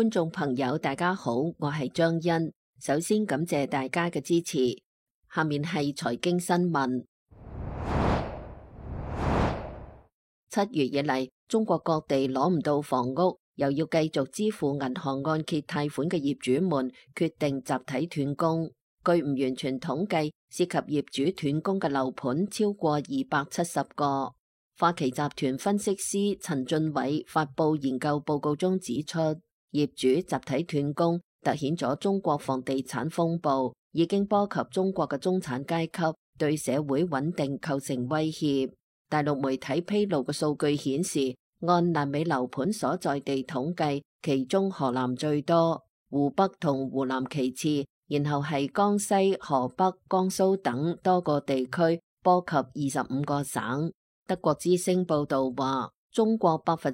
觀眾朋友大家好，我係張欣。首先感謝大家嘅支持。下面係財經新聞。7月以嚟，中國各地攞唔到房屋，又要繼續支付銀行按揭貸款嘅業主們決定集體斷供。據唔完全統計，涉及業主斷供嘅樓盤超過270個。花旗集團分析師陳俊偉發佈研究報告中指出，業主集體斷供凸顯咗中國房地產風暴已經波及中國嘅中產階級，對社會穩定構成威脅。大陸媒體披露嘅數據顯示，按爛尾樓盤所在地統計，其中河南最多，湖北同湖南其次，然後係江西、河北、江蘇等多個地區，波及25個省。德國之聲報道話，中國60%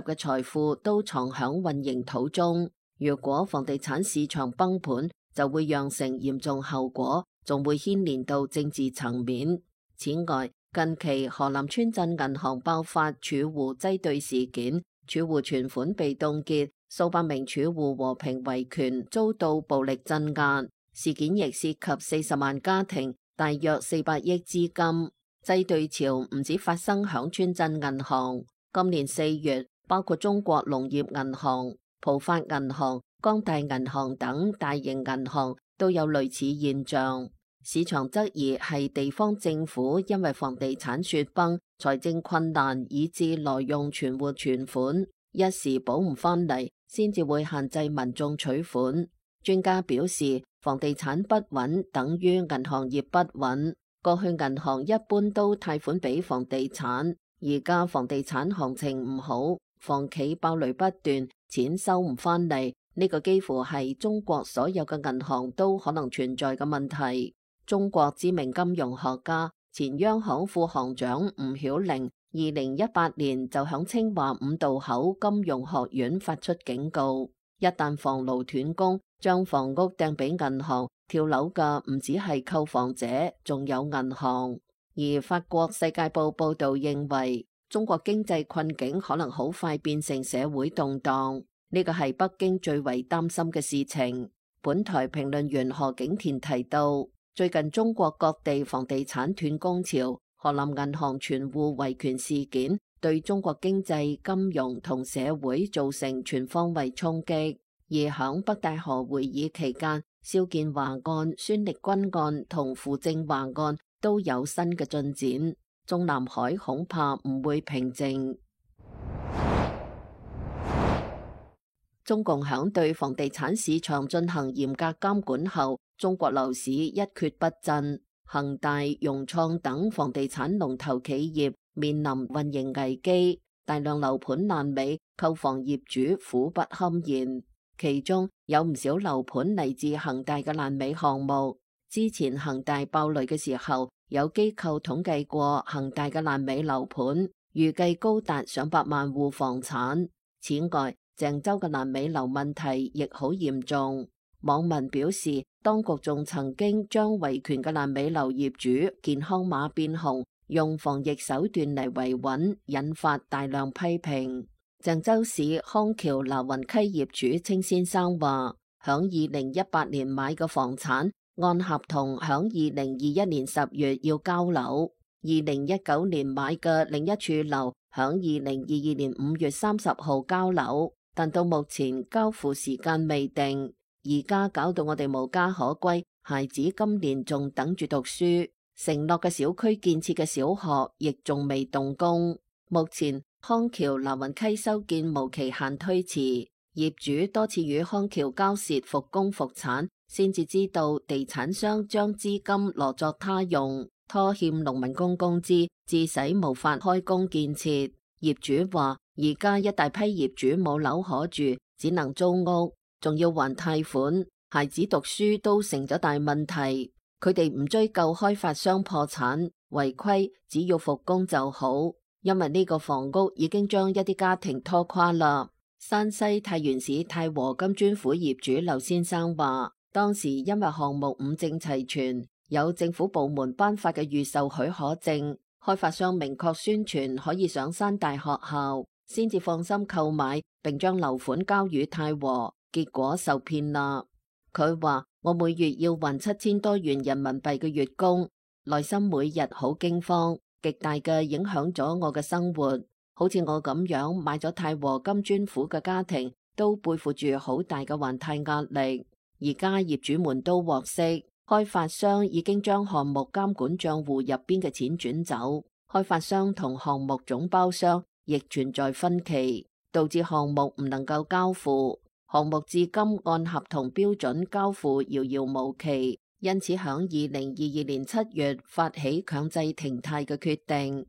嘅財富都藏響混凝土中。如果房地產市場崩盤，就會釀成嚴重後果，仲會牽連到政治層面。此外，近期河南村鎮銀行爆發儲戶擠兌事件，儲戶存款被凍結，數百名儲戶和平維權，遭到暴力鎮壓。事件亦涉及40萬家庭，大約400億資金。擠兌潮唔止發生響村鎮銀行，今年4月，包括中國農業銀行、浦發銀行、光大銀行等大型銀行都有類似現象。市場質疑係地方政府因為房地產雪崩、財政困難，以致挪用存戶存款，一時補唔返嚟，先至會限制民眾取款。專家表示，房地產不穩等於銀行業不穩。過去銀行一般都貸款俾房地產，而家房地產行情唔好，房企爆雷不斷，錢收唔返嚟，呢個幾乎係中國所有嘅銀行都可能存在嘅問題。中國知名金融學家、前央行副行長吳曉玲2018年就響清華五道口金融學院發出警告，一旦房奴斷供，將房屋掟俾銀行，跳樓嘅唔止係購房者，仲有銀行。而法國《世界報》報道認為，中國經濟困境可能好快變成社會動盪，呢個係北京最為擔心嘅事情。本台評論員何景田提到，最近中國各地房地產斷供潮，河南銀行存戶維權事件，對中國經濟、金融同社會造成全方位衝擊。而響北戴河會議期間，肖建華案、孫力軍案同傅政華案都有新嘅進展，中南海恐怕唔會平靜。中共響對房地產市場進行嚴格監管後，中國樓市一蹶不振，恒大、融創等房地產龍頭企業面臨運營危機，大量樓盤爛尾，購房業主苦不堪言。其中有唔少樓盤嚟自恒大嘅爛尾項目。之前恒大爆雷嘅時候，有機構統計過恒大嘅爛尾樓盤，預計高達上百萬戶房產。此外，鄭州嘅爛尾樓問題亦好嚴重。網民表示，當局仲曾經將維權嘅爛尾樓業主健康碼變紅，用防疫手段嚟維穩，引發大量批評。鄭州市康橋拿雲溪業主清先生話，響2018年買嘅房產，按合同響2021年10月要交樓；2019年買嘅另一處樓，響2022年5月30號交樓，但到目前交付時間未定。而家搞到我哋無家可歸，孩子今年仲等住讀書，承諾嘅小區建設嘅小學亦仲未動工。目前康橋拿雲溪修建無期限推遲，業主多次與康橋交涉復工復產，先至知道地產商將資金挪作他用，拖欠農民工工資，致使無法開工建設。業主話，而家一大批業主冇樓可住，只能租屋，仲要還貸款，孩子讀書都成咗大問題。佢哋唔追究開發商破產違規，只要復工就好。因為呢個房屋已經將一啲家庭拖垮啦。山西太原市太和金磚府業主劉先生話，當時因為項目五證齊全，有政府部門頒發嘅預售許可證，開發商明確宣傳可以上山大學校，先至放心購買，並將樓款交予泰和，結果受騙啦。佢話：我每月要還7000多元人民幣嘅月供，內心每日好驚慌，極大嘅影響咗我嘅生活。好似我咁樣買咗泰和金磚虎嘅家庭，都背負住好大嘅還貸壓力。而家業主們都獲悉，開發商已經將項目監管賬戶入邊嘅錢轉走，開發商同項目總包商亦存在分歧，導致項目唔能夠交付。項目至今按合同標準交付遙遙無期，因此響2022年7月發起強制停貸嘅決定。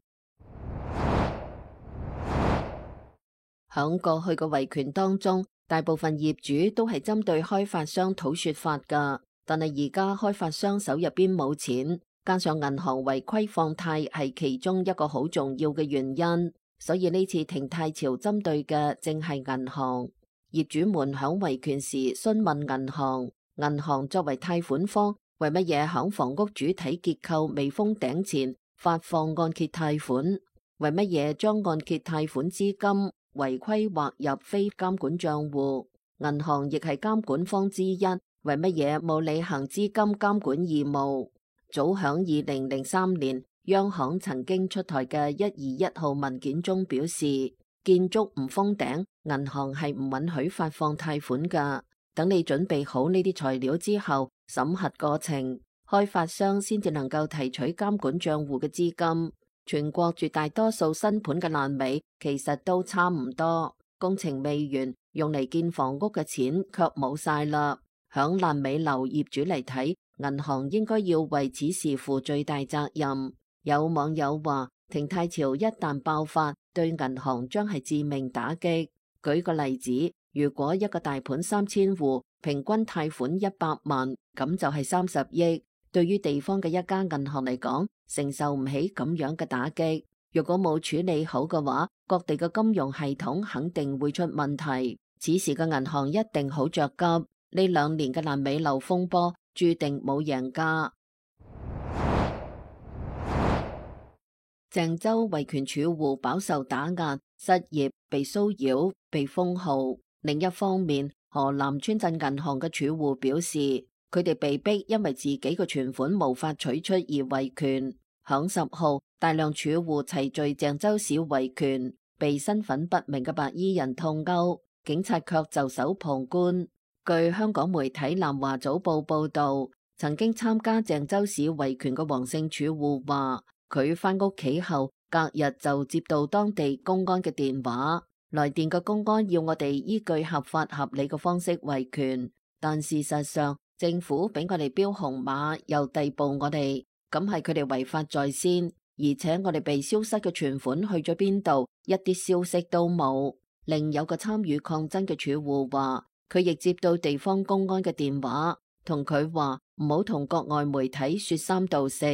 響過去嘅維權當中，大部分業主都係針對開發商討說法㗎，但係而家開發商手入邊冇錢，加上銀行違規放貸係其中一個好重要嘅原因，所以呢次停貸潮針對嘅正係銀行。業主們響維權時詢問銀行，銀行作為貸款方，為乜嘢響房屋主體結構未封頂前發放按揭貸款？為乜嘢將按揭貸款資金違規劃入非監管賬戶？銀行亦係監管方之一，為乜嘢冇履行資金監管義務？早響2003年，央行曾經出台嘅121號文件中表示，建築唔封頂，銀行係唔允許發放貸款噶。等你準備好呢啲材料之後，審核過程，開發商先至能夠提取監管賬戶嘅資金。全國絕大多數新盤嘅爛尾其實都差唔多，工程未完，用嚟建房屋嘅錢卻冇晒啦。響爛尾樓業主嚟睇，銀行應該要為此事負最大責任。有網友話，停貸潮一旦爆發，對銀行將係致命打擊。舉個例子，如果一個大盤3000戶，平均貸款100萬，咁就係30億。對於地方嘅一家銀行嚟講，承受唔起咁樣嘅打擊。如果冇處理好嘅話，各地嘅金融系統肯定會出問題。此時嘅銀行一定好着急。呢2年嘅爛尾樓風波，注定冇贏家。鄭州維權儲戶飽受打壓，失業、被騷擾、被封號。另一方面，河南村鎮銀行嘅儲戶表示，佢哋被逼因為自己嘅存款無法取出而維權。響10號，大量儲戶齊聚鄭州市維權，被身份不明嘅白衣人痛毆，警察卻袖手旁觀。據香港媒體南華早報報道，曾經參加鄭州市維權嘅黃姓儲戶話，佢返屋企後，隔日就接到當地公安嘅電話，來電嘅公安要我哋依據合法合理嘅方式維權，但事實上政府俾我哋標紅碼，又逮捕我哋，咁係佢哋違法在先，而且我哋被消失嘅存款去咗邊度，一啲消息都冇。另有個參與抗爭嘅儲戶話，佢亦接到地方公安嘅電話，同佢話唔好同國外媒體說三道四。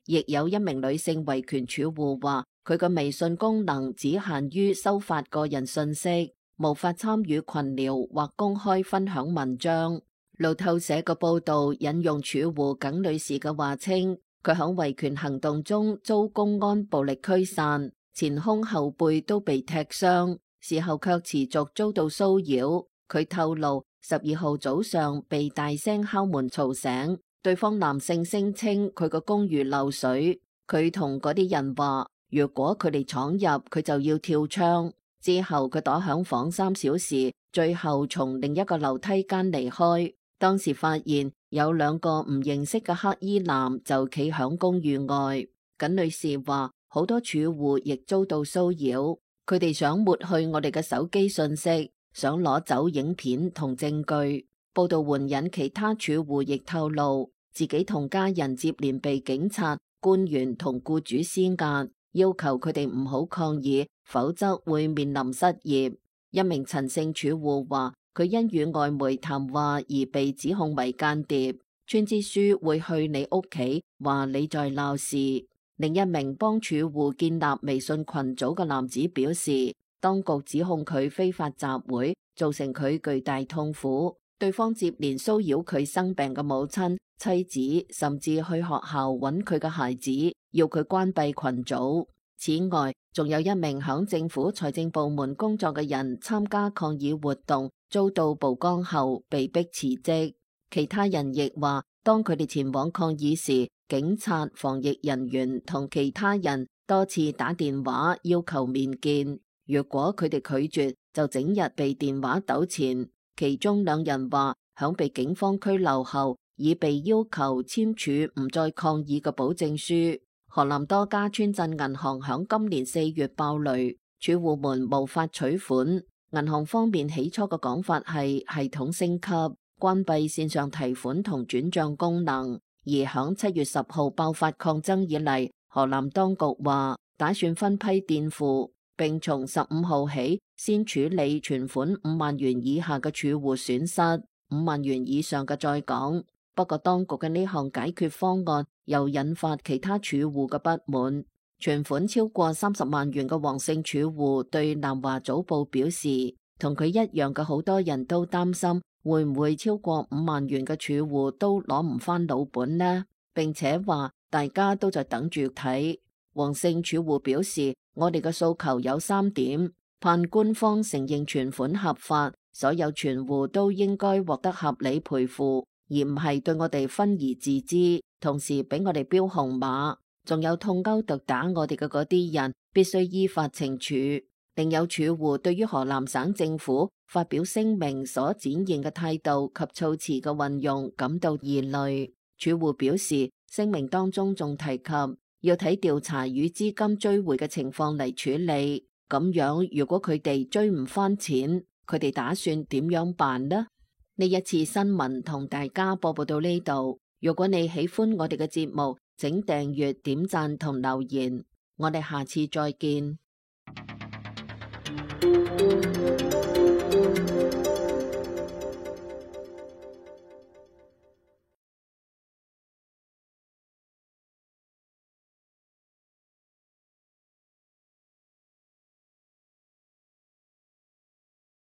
亦有一名女性維權儲戶話，佢個微信功能只限於收發個人信息，無法參與群聊或公開分享文章。路透社嘅報道引用儲戶耿女士嘅話稱，佢響維權行動中遭公安暴力驅散，前胸後背都被踢傷，事後卻持續遭到騷擾。佢透露12號早上被大聲敲門嘈醒。對方男性聲稱佢個公寓漏水，佢同嗰啲人話，如果佢哋闖入，佢就要跳窗。之後佢躲響房3小時，最後從另一個樓梯間離開。當時發現有2個唔認識嘅黑衣男就企響公寓外。耿女士話，好多儲戶亦遭到騷擾，佢哋想抹去我哋嘅手機信息，想攞走影片同證據。報道援引其他儲戶亦透露，自己同家人接連被警察、官員同僱主施壓，要求佢哋唔好抗議，否則會面臨失業。一名陳姓儲戶話，佢因與外媒談話而被指控為間諜，村支書會去你屋企，話你在鬧事。另一名幫儲戶建立微信群組嘅男子表示，當局指控佢非法集會，造成佢巨大痛苦。對方接連騷擾佢生病嘅母親、妻子，甚至去學校揾佢嘅孩子，要佢關閉群組。此外，仲有一名響政府財政部門工作嘅人參加抗議活動，遭到曝光後被迫辭職。其他人亦話，當佢哋前往抗議時，警察、防疫人員同其他人多次打電話要求面見，如果佢哋拒絕，就整日被電話糾纏。其中2人話，響被警方拘留後，已被要求簽署唔再抗議嘅保證書。河南多家村鎮銀行響今年4月爆雷，儲戶們無法取款。銀行方面起初嘅講法係系統升級，關閉線上提款同轉賬功能。而響7月10號爆發抗爭以嚟，河南當局話打算分批墊付，並從15號起先處理存款5萬元以下嘅儲戶損失，5萬元以上嘅再講。不過當局嘅呢項解決方案又引發其他儲戶嘅不滿。存款超過30萬元嘅黃姓儲戶對南華早報表示，同佢一樣嘅好多人都擔心會唔會超過5萬元嘅儲戶都攞唔返老本呢？並且話大家都在等住睇。黃姓儲戶表示，我哋嘅訴求有3點：盼官方承認存款合法，所有存戶都應該獲得合理賠付，而唔係對我哋分而治之，同時俾我哋標紅碼，仲有痛毆毒打我哋嘅嗰啲人必須依法懲處。另有儲戶對於河南省政府發表聲明所展現嘅態度及措辭嘅運用感到疑慮。儲戶表示，聲明當中仲提及要睇調查與資金追回嘅情況嚟處理，咁樣如果佢哋追唔返錢，佢哋打算點樣辦呢？呢一次新聞同大家播報到呢度。如果你喜歡我哋嘅節目，請訂閱、點讚同留言。我哋下次再見。